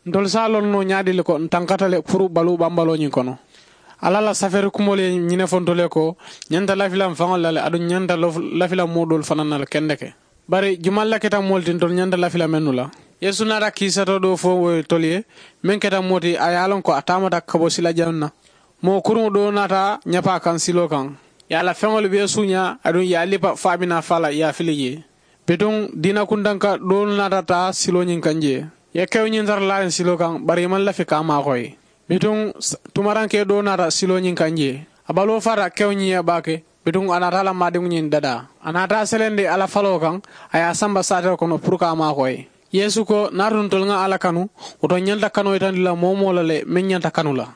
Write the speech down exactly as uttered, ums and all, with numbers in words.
Ntolu se a loŋ noo ñaadii le ko n tankata le puru baluu bambaloo ñiŋ kono. Alla la safeeri kumoolu ye ñiŋ ne fo ntolu ye ko, ñanta lafila n faŋolu la le aduŋ ñanta lafila moo doolu fanaa na le kendeke. Bari jumaŋ la keta moolu ti ntolu ñanta lafila mennu la? Yeesu naata kiisato doo fo wo ye tolu ye, meŋ keta moo ti a ye a loŋ ko a taamata ka bo sila jaŋ na. Moo kuruŋo doo naata ñapaa kaŋ siloo kaŋ, ye a la feŋolu bee suuñaa aduŋ ye a lipa fo a bi naa faa la ye a fili jee. Bituŋ diina kuntanka doolu naata taa siloo ñiŋ kaŋ jee, ye kewo ñiŋ tara laariŋ siloo kaŋ bari i maŋ lafi ka a maakoyi. Bituŋ tumarankee doo naata siloo ñiŋ kaŋ jee, a baloo faata kewo ñiŋ ye baake. Bituŋ a naata a la maadiŋo ñiŋ dadaa, a naata a selendi a la faloo kaŋ, a ye a samba saatewo kono puru ka a maakoyi. Yeesu ko, niŋ a tunu ntolu ŋa alla kanu, wo to n ñanta kanoo yitandi la moo-wo-moo la le meŋ ñanta kanu la.